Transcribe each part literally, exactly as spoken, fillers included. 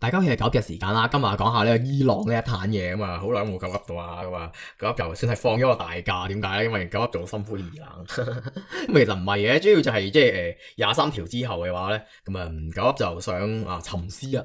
大家好，係九日時間啦，今日講下呢個伊朗呢一壇嘢啊嘛，好耐冇九噏到啊，咁啊九噏就算係放咗個大假，點解咧？因為九噏做心灰意冷，咁其實唔係嘅，主要就係即係誒廿三條之後嘅話咧，咁啊九噏就想啊沉思一下。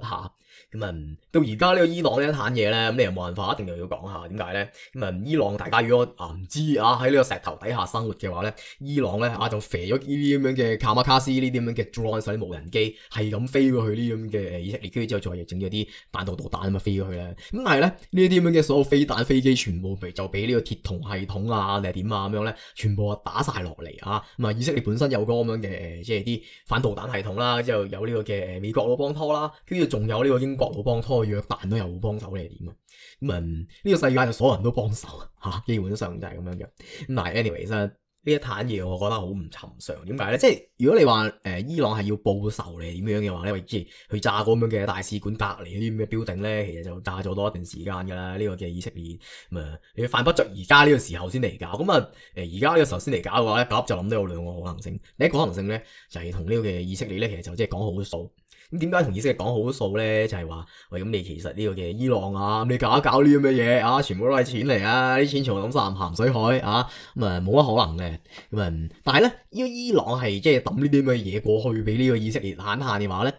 咁啊，到而家呢個伊朗呢一壇嘢咧，咁你又冇辦法，一定又要講下點解咧？咁啊，伊朗大家如果啊唔知啊喺呢個石頭底下生活嘅話咧，伊朗咧啊就肥咗呢啲咁樣嘅卡馬卡斯呢啲咁樣嘅 drone 嗰啲無人機，係咁飛過去呢啲咁嘅以色列，跟住之後再整咗啲彈道導彈咁啊飛過去咧。咁但係咧呢啲咁樣嘅所有飛彈飛機，全部就俾呢個鐵穹系統啊定係點啊咁樣咧，全部啊打晒落嚟啊！咁啊，以色列本身有個咁樣嘅即係啲反導彈系統啦，之後有呢個嘅美國佬幫拖啦，跟住仲有呢個英國佬幫拖，約旦都有幫手你係點啊？咁啊呢個世界就所有人都幫手嚇，基本上就係咁樣嘅。咁但係 anyways 呢一壇嘢我覺得好唔尋常，點解咧？即係如果你話誒、呃、伊朗係要報仇嚟點樣嘅話咧，即係去炸嗰咁樣嘅大使館隔離嗰啲咁嘅標定咧，其實就炸咗多一段時間㗎啦。呢、這個嘅以色列咁啊，你犯不着而家呢個時候先嚟搞。咁啊誒而家呢個時候先嚟搞嘅話咧，咁就諗到有兩個可能性。第一個可能性咧就係同呢個嘅以色列咧，其實就即係講好數。咁點解同以色列講好數咧？就係、是、話喂，咁你其實呢個嘅伊朗啊，你搞一搞呢啲咁嘅嘢啊，全部都係錢嚟啊！啲錢全部抌晒入鹹水海啊，咁啊冇乜可能嘅。咁啊，但係咧，呢個伊朗係即係抌呢啲咁嘅嘢過去俾呢個以色列慳慳嘅話咧。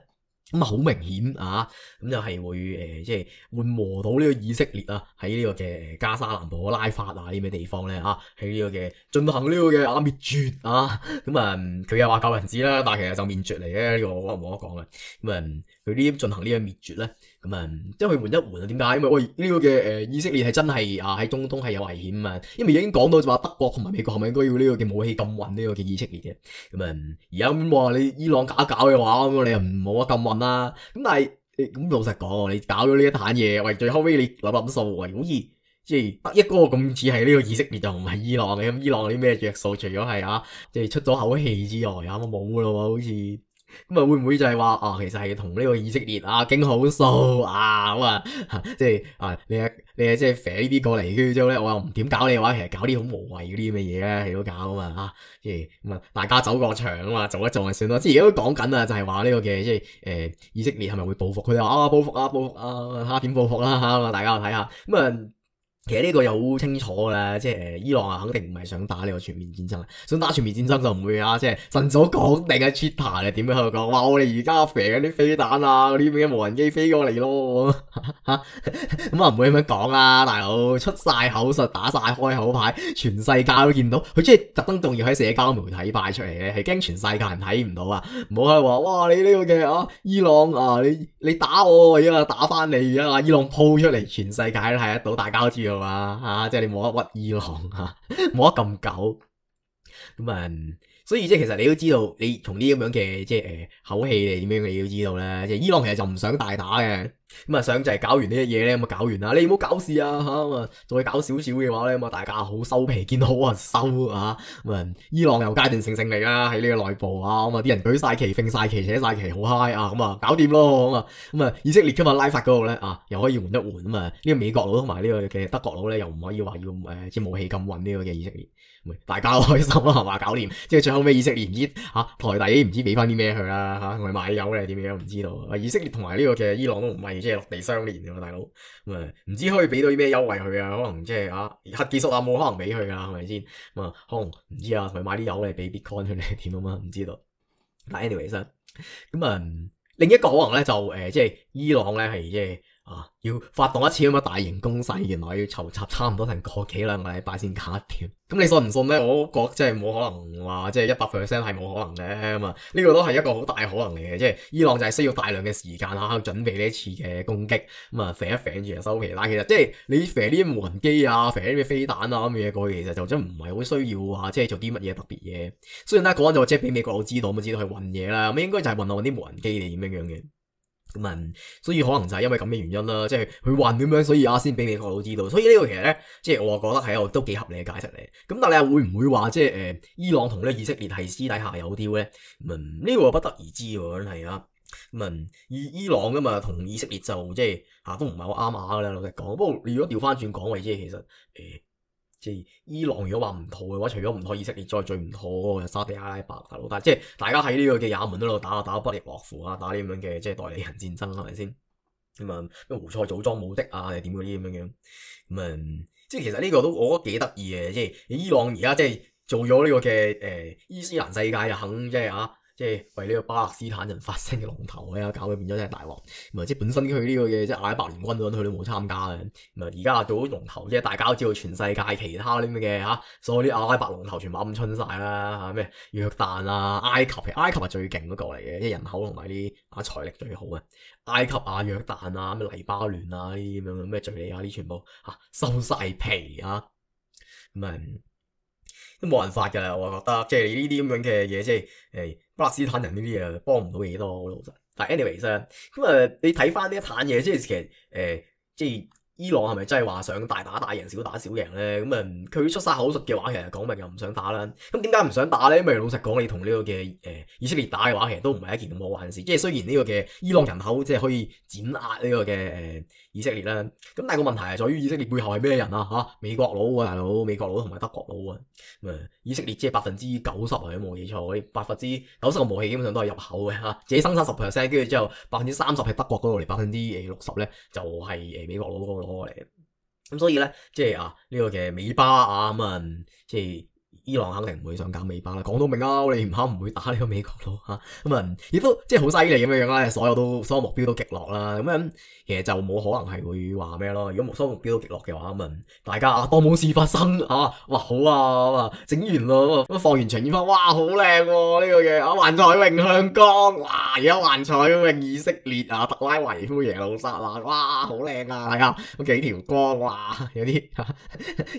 咁啊，好明顯啊，咁就係會誒、呃，即係緩和到呢個以色列啊，喺呢個嘅加沙南部拉法啊呢啲咩地方咧啊，喺呢個嘅進行呢個嘅啊滅絕啊，咁啊佢又話救人質啦，但係其實就滅絕嚟嘅呢個我冇得講嘅，咁啊佢呢啲進行呢個滅絕咧，咁啊即係去緩一緩啊？點解？因為喂呢個嘅誒以色列係真係啊喺中東係有危險啊，因為已經講到就話德國同埋美國係咪應該要呢個嘅武器禁運呢個嘅以色列嘅，咁啊而家咁話你伊朗搞一搞嘅話，咁你又唔冇得禁運啦，咁但係咁老實講，你搞咗呢一壇嘢，喂最後尾你諗諗數，喂好似即係得一個咁似係呢個以色列就唔係伊朗嘅，咁伊朗啲咩着數？除咗係啊，即係出咗口氣之外，啊冇咯喎，好似。咁啊，會唔會就係話啊，其實係同呢個以色列啊傾好數啊咁啊，即係啊，你啊你啊即係飛呢啲過嚟，跟住之後咧，我又唔點搞你嘅話，其實搞啲好無謂嗰啲咁嘅嘢咧，係都搞啊嘛嚇，即係咁啊，大家走過場啊嘛，做一做就算咯。即係而家都講緊啊，就係話呢個嘅即係誒、呃、以色列係咪會報復？佢哋話啊報復啊報復啊，睇下點報復啦嚇，大家睇下咁啊。其實呢個又好清楚㗎啦，即係誒伊朗啊，肯定唔係想打呢個全面戰爭，想打全面戰爭就唔會啊，即係晨早講定嘅 Twitter 你點樣喺度講，話我哋而家肥緊啲飛彈啊，嗰啲咩無人機飛過嚟咯，咁啊唔會咁樣講啦，大佬出晒口術，打晒開口牌，全世界都見到，佢即係特登仲要喺社交媒體擺出嚟咧，係驚全世界人睇唔到啊，唔好係話哇你呢個嘅啊伊朗啊你你打我而家打翻你啊，伊朗鋪出嚟，全世界都睇得到，大家都知道。啊，吓，即係你冇得屈伊朗吓，冇得咁久，咁啊，所以即係其實你都知道，你從呢咁樣嘅即係誒口氣嚟點樣，你都知道咧，即係伊朗其實就唔想大打嘅，咁啊想就係搞完呢啲嘢咧，咁啊搞完啦，你唔好搞事啊吓，咁啊再搞少少嘅話咧，咁啊大家好收皮，見到好啊收啊，咁啊伊朗又階段性勝利啦，喺呢個內部啊，咁啊啲人舉晒旗、揈晒旗、扯晒旗，好嗨啊，咁啊搞掂咯，咁啊咁啊以色列今日拉法嗰度咧啊，又可以緩一緩啊嘛，呢個美國佬同埋呢個嘅德國佬咧，又唔可以話要誒即係武器禁運呢個嘅以色列。大家都開心啦，係嘛？搞掂，即係最後尾以色列唔知嚇、啊、台底唔知俾翻啲咩佢啦嚇，同埋買油咧點樣唔知道。以色列同埋呢個嘅伊朗都唔係即係落地相連嘅大佬，咁啊唔知可以俾到啲咩優惠佢啊？可能即係啊核技術啊冇可能俾佢噶，係咪先？咁啊可能唔知啊，同埋買啲油嚟俾 Bitcoin 佢哋點啊嘛？唔知道。但 anyways 咁啊另一個可能咧就誒、呃、即係伊朗咧係即係。啊！要發動一次咁嘅大型攻勢，原來要籌集差唔多成個幾兩個禮拜先搞掂。咁你信唔信咧？我覺得真係冇可能話，即係一百 percent 係冇可能嘅嘛。呢個都係一個好大可能嚟嘅，即係伊朗就係需要大量嘅時間啊，準備呢一次嘅攻擊。咁啊，肥一肥住就收皮。但係其實即係你肥啲無人機啊，肥啲咩飛彈啊咁嘅嘢過去，其實就真唔係好需要話，即係做啲乜嘢特別嘢。雖然咧嗰陣就即係俾美國佬知道，咁知道去運嘢啦。咁應該就係運下啲無人機定點樣樣嘅。咁啊，所以可能就係因為咁嘅原因啦，即係佢混咁樣，所以啊先俾美國佬知道。所以呢個其實咧，即係我覺得係一個都幾合理嘅解釋嚟。咁但係你又會唔會話即係誒伊朗同呢以色列係私底下有啲咧？咁呢個不得而知喎，真係啊。咁啊，伊伊朗噶嘛同以色列就即係嚇都唔係好啱牙噶啦，老實講。不過你如果調翻轉講，為即係其實誒。呃即係伊朗如果話唔妥嘅話，除咗唔妥以色列，再最唔妥嗰個沙地阿拉伯大佬，但係即係大家喺呢個嘅也門嗰度打啊，打得不亦樂乎啊，打呢咁樣嘅即係代理人戰爭係咪先？咁啊咩胡塞組裝武的啊，定點嗰啲咁樣樣，咁啊即係其實呢個都我覺得幾得意嘅，即係伊朗而家即係做咗呢個嘅誒、呃、伊斯蘭世界就肯即係啊。即係為呢個巴勒斯坦人發聲嘅龍頭咧，搞到變咗真係大鑊。咁啊，即係本身佢呢個嘅即係阿拉伯聯軍嗰陣，佢都冇參加嘅。咁啊，而家做咗龍頭，即係大家都知道全世界其他啲咁嘅嚇，所有啲阿拉伯龍頭全部鵪鶉晒啦嚇，咩約旦啊、埃及，埃及係最勁嗰個嚟嘅，即係人口同埋啲啊財力最好嘅。埃及啊、約旦啊、咩黎巴嫩啊呢啲咁樣咩敍利亞啲全部嚇收晒皮啊，咁啊〜都冇辦法㗎啦，我覺得即係呢啲咁樣嘅嘢，即係誒巴勒斯坦人呢啲嘢幫唔到幾多老實。但係 anyways 咧，咁啊你睇翻呢一攤嘢，即係其實誒、呃、即係伊朗係咪真係話想大打大贏、小打小贏咧？咁啊佢出晒口術嘅話，其實講明又唔想打啦。咁點解唔想打咧？因為老實講，你同呢個嘅誒、呃、以色列打嘅話，其實都唔係一件咁好玩嘅事。即係雖然呢個嘅伊朗人口即係可以碾壓呢個嘅誒、呃、以色列啦，咁但係個問題係在於以色列背後係咩人啊？嚇，美國佬啊大佬，美國佬同埋德國佬啊。咁啊，以色列即係百分之九十啊，都冇記錯，嗰啲百分之九十嘅武器基本上都係入口嘅嚇，自己生產十 percent，跟住之後百分之三十係德國嗰度嚟，百分之誒六十咧就係誒美國佬嗰度攞過嚟嘅。咁所以咧，即係啊呢個嘅美巴啊咁啊，即係伊朗肯定唔會想搞美巴啦。講到明啊，我哋唔肯唔會打呢個美國佬嚇。咁啊，亦都即係好犀利咁樣樣啦，所有都所有目標都擊落啦。咁樣其實就冇可能係會話咩咯。如果所有目標都擊落嘅話，咁啊大家啊當冇事發生啊，哇好啊，整完咯，咁放完場煙花，哇好靚喎呢個嘅啊幻彩詠向江，哇而家幻彩詠以色列啊特拉維夫耶路撒冷，哇好靚啊，係啊咁幾條光，哇有啲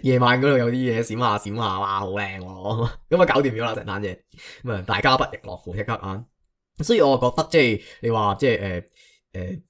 夜晚嗰度有啲嘢閃下閃下，哇好靚喎，咁啊搞掂咗啦成單嘢，咁啊大家不亦樂乎即刻啊，所以我覺得即係你話即係誒誒。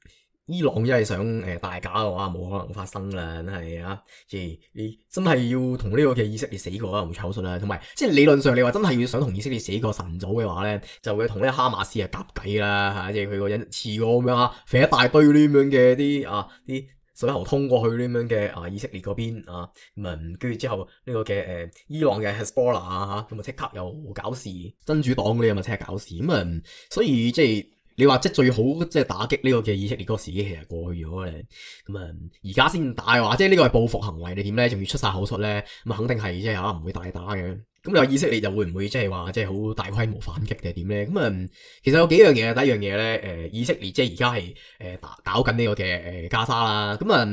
伊朗真係想誒大假嘅話，冇可能發生啦，真係啊！即係你真係要同呢個嘅以色列死過啦，胡塞口術啦，同埋即係理論上你話真係要想同以色列死過晨早嘅話咧，就會同呢個哈馬斯啊夾計啦嚇，即係佢個人似我咁樣嚇，肥一大堆呢咁樣嘅啲啊啲水喉通過去呢咁樣嘅啊以色列嗰邊啊，咁啊跟住之後呢個嘅誒伊朗嘅 Hezbollah 啊嚇，咁啊即刻又搞事，真主黨嗰啲咁啊即刻搞事，咁啊所以即係。你話即係最好即係打擊呢個嘅以色列嗰個時機其實過去咗咧，咁啊而家先打嘅話，即係呢個係報復行為，你點咧？仲要出晒口術咧？咁啊肯定係即係嚇唔會大打嘅。咁你話以色列就會唔會即係話即係好大規模反擊定係點咧？咁啊其實有幾樣嘢，第一樣嘢咧誒以色列即係而家係誒打搞緊呢個嘅誒加沙啦，咁啊。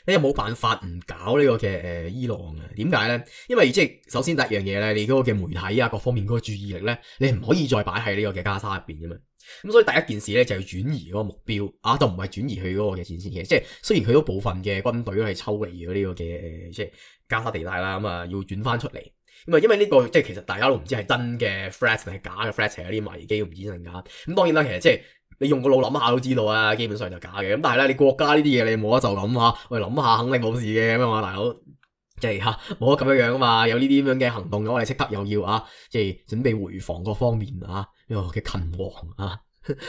你又冇辦法唔搞呢個嘅誒、呃、伊朗啊？點解咧？因為即係首先第一樣嘢咧，你嗰個嘅媒體啊各方面嗰個注意力咧，你唔可以再擺喺呢個嘅加沙入邊噶嘛。咁所以第一件事咧就係轉移嗰個目標啊，就唔係轉移去嗰個嘅戰線嘅。即係雖然佢都部分嘅軍隊都係抽離咗呢個嘅誒、呃，即係加沙地帶啦，咁啊要轉翻出嚟。咁啊，因為呢、這個即係其實大家都唔知係真嘅 threat 定係假嘅 threat，係有啲危機，唔知真假。咁當然啦，其實即係。你用個腦諗下都知道啊，基本上就假嘅。咁但係咧，你國家呢啲嘢你冇得就咁嚇，喂諗下肯定冇事嘅咁啊，大佬即係嚇冇得咁樣樣啊嘛。有呢啲咁樣嘅行動，我哋即刻又要啊，即係準備回防各方面啊，呢個嘅勤王啊，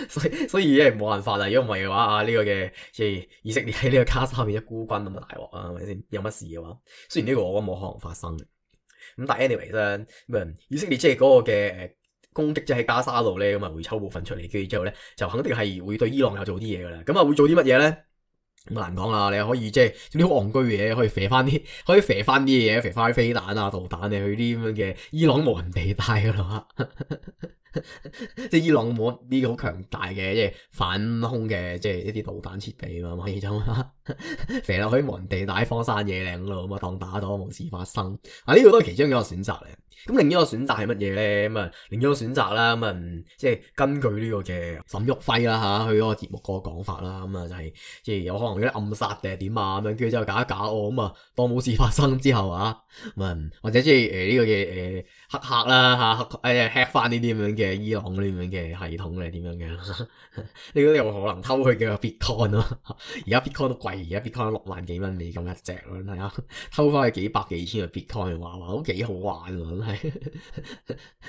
所以所以咧冇辦法啦。如果唔係嘅話啊，呢、這個嘅即係以色列喺呢個加沙面一孤軍咁啊大鑊啊，係咪先？有乜事嘅話，雖然呢個我覺得冇可能發生嘅。咁但係 anyway 咧，咁以色列即係嗰個嘅誒。攻擊即係喺加沙度咧，咁啊會抽部分出嚟，跟住之後咧就肯定係會對伊朗有做啲嘢噶啦。咁啊會做啲乜嘢咧？咁難講啦。你可以即係啲好戇居嘅嘢，可以射翻啲，可以射翻啲嘢，射翻啲飛彈啊、導彈啊去啲咁樣嘅伊朗無人地帶噶啦。即係伊朗冇啲好強大嘅即係反空嘅即係一啲導彈設備啊嘛，可以就射落去無人地帶荒山野嶺咯，咁啊當打咗冇事發生。啊呢、這個都係其中一個選擇嚟。咁另一個選擇係乜嘢咧？咁啊，另一個選擇啦，咁啊，即係根據呢個嘅沈旭輝啦嚇，佢嗰個節目嗰個講法啦，咁啊就係即係有可能有啲暗殺定係點啊咁樣，跟住之後搞一搞哦，咁啊當冇事發生之後啊，咁啊或者即係誒呢個嘅誒黑客啦嚇，誒 hack 翻呢啲咁樣嘅伊朗呢啲咁樣嘅系統咧點樣嘅？呢個有可能偷佢嘅 Bitcoin 咯，而家 Bitcoin 都貴，而家 Bitcoin 六萬幾蚊美金一隻咯，係啊，偷翻去幾百幾千嘅 Bitcoin，話話都幾好玩喎，真係。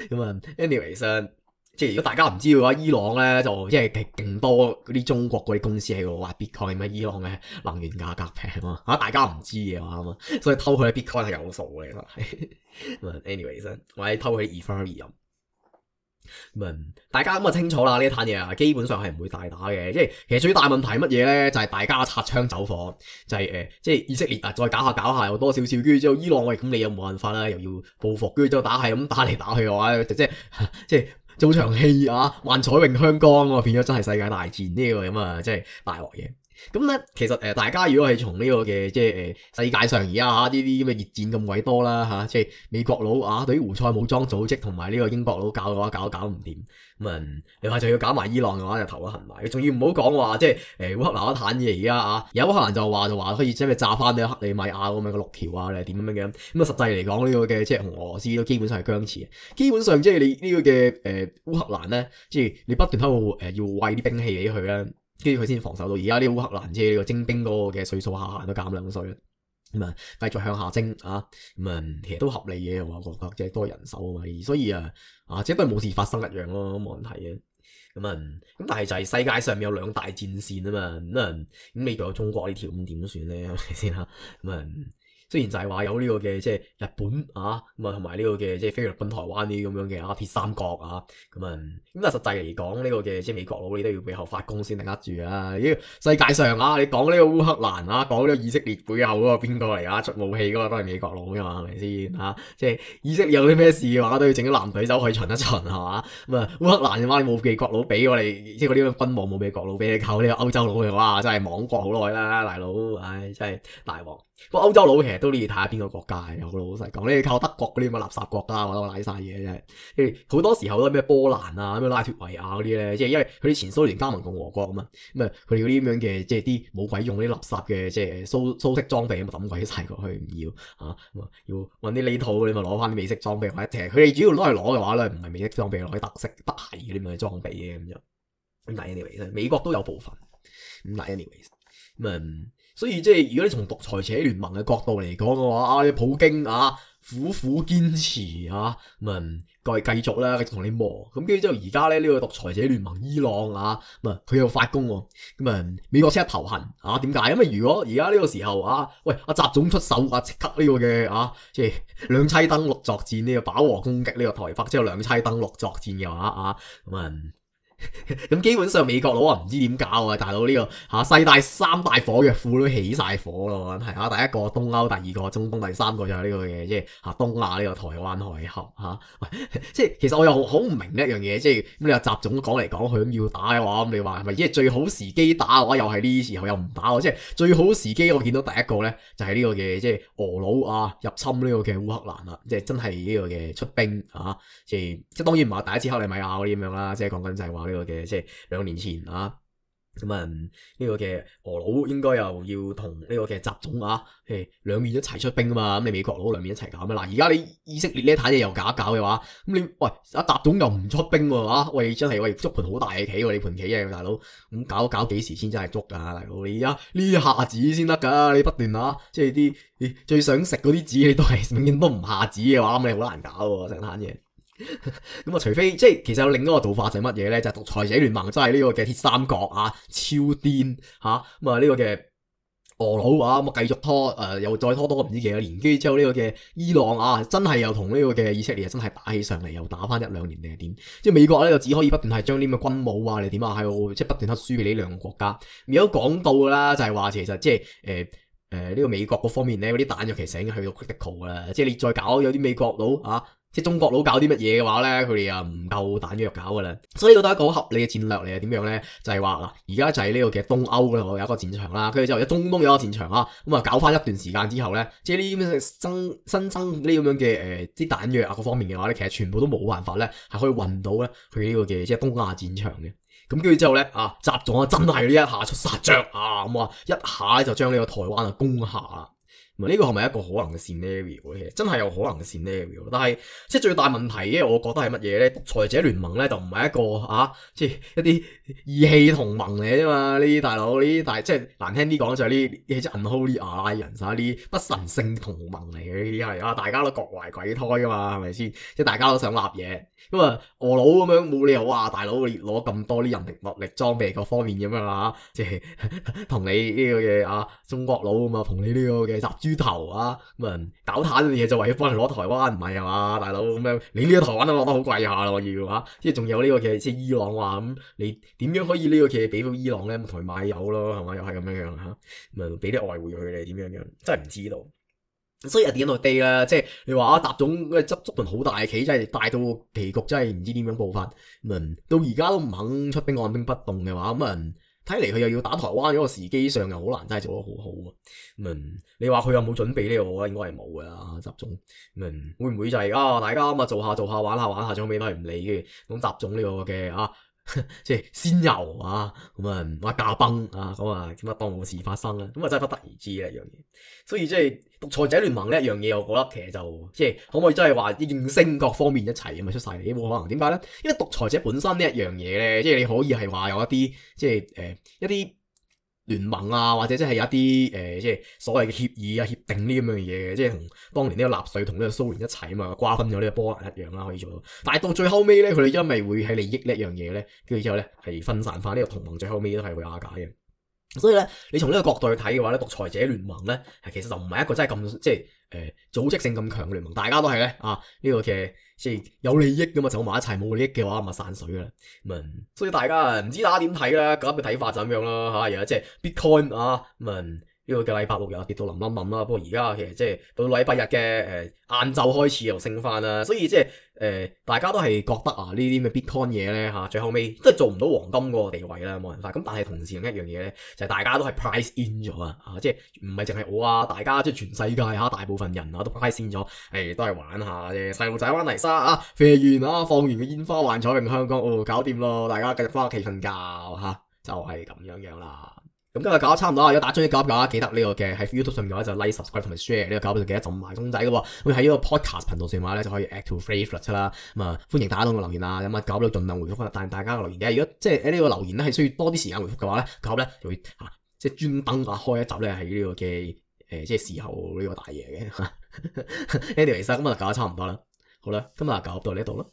咁啊，anyways，即係如果大家唔知嘅話，伊朗咧就即係勁多嗰啲中國嗰啲公司喺度挖 Bitcoin 咩？伊朗嘅能源價格平啊，嚇大家唔知嘅話啊嘛，所以偷佢啲 Bitcoin 係有數嘅，其實係。咁啊，anyways，或者偷佢啲 Ethereum。咁啊，大家咁啊清楚啦，呢一攤嘢啊，基本上係唔會大打嘅。即係其實最大問題係乜嘢咧？就係、是、大家擦槍走火，就係、是、誒、呃，即係以色列啊，再搞下搞下又多少少，跟住之後伊朗喂，咁你又冇辦法啦，又要報復，跟住之後打係咁打嚟打去嘅話，即係即係做場戲啊，幻彩詠香江啊，變咗真係世界大戰呢個咁啊，即係大鑊嘢。咁咧，其實誒，大家如果係從呢個嘅即係誒世界上而家嚇呢啲咁嘅熱戰咁鬼多啦嚇，即係美國佬啊對於胡塞武裝組織同埋呢個英國佬搞嘅話，搞搞唔掂咁啊！你話就要搞埋伊朗嘅話，就頭都痕埋。仲要唔好講話，即係誒烏克蘭一攤嘢而家啊，有烏克蘭就話就話可以即係炸翻呢克里米亞咁樣嘅六條啊，你係點樣嘅咁？咁啊實際嚟講呢個嘅即係同俄羅斯都基本上係僵持嘅。基本上即係你呢個嘅誒烏克蘭咧，即係你不斷喺度誒要餵啲兵器俾佢咧。跟住佢先防守到，而家呢個烏克蘭即係呢個徵兵嗰個嘅歲數下限都減兩歲啦，咁啊繼續向下徵啊，咁啊其實都合理嘅，我覺得即係多人手啊嘛，所以啊啊即係都係冇事發生一樣咯，冇問題嘅。咁啊咁但係就係世界上面有兩大戰線啊嘛，咁啊咁美國有中國呢條咁點算咧？係咪先嚇？咁啊雖然就係話有呢個嘅即係日本啊，咁啊同埋呢個嘅即係菲律賓、台灣呢啲咁樣嘅啊鐵三角啊，咁啊咁但係實際嚟講呢個嘅即係美國佬你都要背後發功先頂得住啊！呢個世界上啊，你講呢個烏克蘭啊，講呢個以色列背後嗰個邊個嚟啊？出武器嗰個都係美國佬噶嘛，係咪先嚇？即係以色列有啲咩事嘅話，都要整啲藍隊走去巡一巡係嘛？咁啊烏克蘭嘅話你冇美國佬俾我哋，即係嗰啲軍務冇美國佬俾你，靠呢個歐洲佬嘅話真係亡國好耐啦，大佬，唉真係大鑊。不過歐洲佬其實都呢要睇下邊個國家嘅，好老實講，你靠德國嗰啲咁嘅垃圾國家，我都賴晒嘢真係。好多時候都係咩波蘭啊、咩拉脫維亞嗰啲咧，即係因為佢啲前蘇聯加盟共和國啊嘛，咁啊佢哋嗰啲咁樣嘅即係啲冇鬼用啲垃圾嘅即係蘇蘇式裝備咁啊抌鬼晒過去唔要嚇，咁啊要揾啲呢套你咪攞翻啲美式裝備，或者其實佢哋主要攞嚟攞嘅話咧，唔係美式裝備，攞啲特色德系嗰啲咁嘅裝備嘅咁樣。咁但係 anyway，美國都有部分。咁但係 anyway，咁啊。所以即係如果你從獨裁者聯盟嘅角度嚟講嘅話，啊，你普京啊苦苦堅持啊，咁啊繼繼續啦，繼續同你磨，咁跟住之後而家咧呢、這個獨裁者聯盟伊朗啊，咁啊佢又發功喎，咁啊美國即刻頭痕啊，點解？因為如果而家呢個時候啊，喂阿習總出手啊，即刻呢個嘅啊，即係兩棲登陸作戰呢、這個飽和攻擊呢個台北之後兩棲登陸作戰嘅話啊，咁啊。咁基本上美國佬啊唔知點搞啊，大佬呢、這個吓世界三大火藥庫都起晒火咯，係啊，第一個東歐，第二個中東，第三個就係呢個嘅即係吓東亞呢個台灣海峽吓，即係其實我又好唔明一樣嘢，即係咁你話習總講嚟講去咁要打嘅話，咁你話係咪即係最好時機打嘅話，又係呢時候又唔打，即係最好時機我見到第一個咧就係呢個嘅即係俄佬啊入侵呢個嘅烏克蘭啦，即係真係呢個嘅出兵啊，即係即係當然唔係第一次克里米亞嗰啲咁樣啦，即係講緊就係話呢個嘅即係兩年前啊，咁啊呢個嘅俄佬應該又要同呢個嘅習總啊，誒兩面一齊出兵啊嘛，咁你美國佬兩面一齊搞咩？嗱而家你以色列呢一攤嘢又搞一搞嘅話，咁你喂阿習總又唔出兵喎啊，喂真係喂捉盤好大嘅棋喎，你盤棋啊大佬，咁搞搞幾時先真係捉噶大佬？你而家呢下子先得噶，你不斷啊即係啲你最想食嗰啲子你都係永遠都唔下子嘅話，咁你好難搞喎成攤嘢。咁啊，除非即係其實有另一個做法就係乜嘢咧？就係、是、獨裁者聯盟，即係呢個嘅鐵三角啊，超癲吓咁啊！呢個嘅俄佬啊，咁啊繼續拖誒、呃，又再拖多唔知幾多年，跟住之後呢個嘅伊朗啊，真係又同呢個嘅以色列真係打起上嚟，又打翻一兩年定係點？即係美國咧就只可以不斷係將啲咁嘅軍武啊，你點啊，喺度即係不斷黑輸俾呢兩個國家。如果講到噶啦，就係、是、話其實即係誒誒呢個美國嗰方面咧，嗰啲彈藥其實已經去到 critical 噶啦，即係你再搞有啲美國佬啊。即係中國佬搞啲乜嘢嘅話咧，佢哋又唔夠彈藥搞噶啦，所以呢個都係一個好合理嘅戰略嚟，係點樣咧？就係話嗱，而家就係呢個嘅東歐嗰度有一個戰場啦，跟住之後有中東有一個戰場啦，咁啊搞翻一段時間之後咧，即係呢啲咁嘅增新增呢咁樣嘅誒啲彈藥啊各方面嘅話咧，其實全部都冇辦法咧係可以運到咧去呢個嘅即係東亞戰場嘅。咁跟住之後咧啊，習總啊真係呢一下出殺將啊，咁啊一下咧就將呢個台灣啊攻下啦。呢個係咪一個可能嘅 scenario 咧？真係有可能嘅 scenario， 但係即係最大問題嘅，我覺得係乜嘢咧？獨裁者聯盟咧就唔係一個啊，即係一啲義氣同盟嚟啫嘛。呢啲大佬，呢啲大即係難聽啲講就係呢啲即係 unholy alliance 啊，呢啲不神聖同盟嚟嘅。呢啲係啊，大家都各懷鬼胎噶嘛，係咪先？即係大家都想立嘢咁啊，俄佬咁樣冇理由話大佬你攞咁多啲人力物力裝備各方面咁樣啊，即係同你呢個嘅啊中國佬啊嘛，同你呢個嘅習豬頭啊，咁啊搞攤嘅嘢就為咗幫人攞台灣，唔係啊嘛，大佬咁樣，你呢個台灣都攞得好貴下咯，要嚇，即係仲有呢個嘅即係伊朗話咁，你點樣可以呢個嘅俾到伊朗咧？同佢買油咯，係嘛？又係咁樣樣嚇，咁啊俾啲外匯佢哋點樣樣，真係唔知道。所以 at the end of the day 啦，即係你話啊，習總執執盤好大嘅棋，真係大到棋局真係唔知點樣佈法。咁啊，到而家都唔肯出兵，按兵不動嘅話，咁啊，睇嚟佢又要打台灣，嗰個時機上又好難，真係做得好好啊。咁啊，你話佢有冇準備呢？我覺得應該係冇㗎啦，習總。咁啊，會唔會就係啊？大家咁啊做下做下玩下玩下，最後尾都係唔理嘅。咁習總呢個嘅啊〜即係仙遊啊，咁啊話駕崩啊，咁啊點解當冇事發生咧？咁啊真係不得而知呢一樣嘢。所以即係獨裁者聯盟呢一樣嘢，我覺得其實就即係可唔可以真係話應聲各方面一齊咁啊出晒嚟？冇可能。點解咧？因為獨裁者本身呢一樣嘢咧，即係你可以係話有一啲即係誒、呃、一啲聯盟啊，或者即係有一啲誒、呃、即係所謂嘅協議啊、協定呢咁樣嘅嘢嘅，即係同當年呢個納粹同呢個蘇聯一齊啊嘛，瓜分咗呢個波蘭一樣啦，可以做到。但係到最後尾咧，佢哋因為會喺利益呢一樣嘢咧，跟住之後咧係分散翻呢個同盟，最後尾都係會瓦解嘅。所以咧，你從呢個角度去睇嘅話咧，獨裁者聯盟咧，其實就唔係一個真係咁即係誒、呃、組織性咁強嘅聯盟，大家都係咧啊呢、這個嘅即係有利益㗎嘛，走埋一齊，冇利益嘅話咪散水啦。咁、嗯、啊，所以大家唔知大家點睇啦，咁嘅睇法就咁樣啦嚇。而家即係 Bitcoin 啊咁啊。嗯呢個嘅禮拜六又跌到冧冧冧啦，不過而家其實即係到禮拜日嘅誒晏晝開始又升翻啦，所以即係誒大家都係覺得啊呢啲咩 Bitcoin 嘢咧嚇，最後尾都係做唔到黃金嗰個地位啦，冇辦法。咁但係同時另一樣嘢咧，就係、是、大家都係 price in 咗啊，即係唔係淨係我啊，大家即係全世界嚇大部分人啊都 price in 咗，誒、哎、都係玩下啫，細路仔玩泥沙啊，飛完啊放完嘅煙花幻彩詠香江哦，搞掂咯，大家繼續翻屋企瞓覺嚇、啊，就係、是、咁樣樣啦。咁今日搞得差唔多啊！如果打中意搞一搞，記得呢個嘅喺 YouTube 上面嘅話就 like、subscribe 同埋 share 呢個搞，就記得浸埋鐘仔嘅喎。咁喺呢個 podcast 頻道上嘅話咧就可以 add to favourite 啦。咁啊歡迎大家多個留言啊，咁啊搞到盡量回覆翻，但係大家嘅留言嘅。如果即係喺呢個留言咧係需要多啲時間回覆嘅話咧，搞咧就會嚇即係專登啊開一集咧係呢個嘅誒即係時候呢個大嘢嘅。Anyways，咁啊搞得差唔多啦。好啦，今日搞到呢度啦。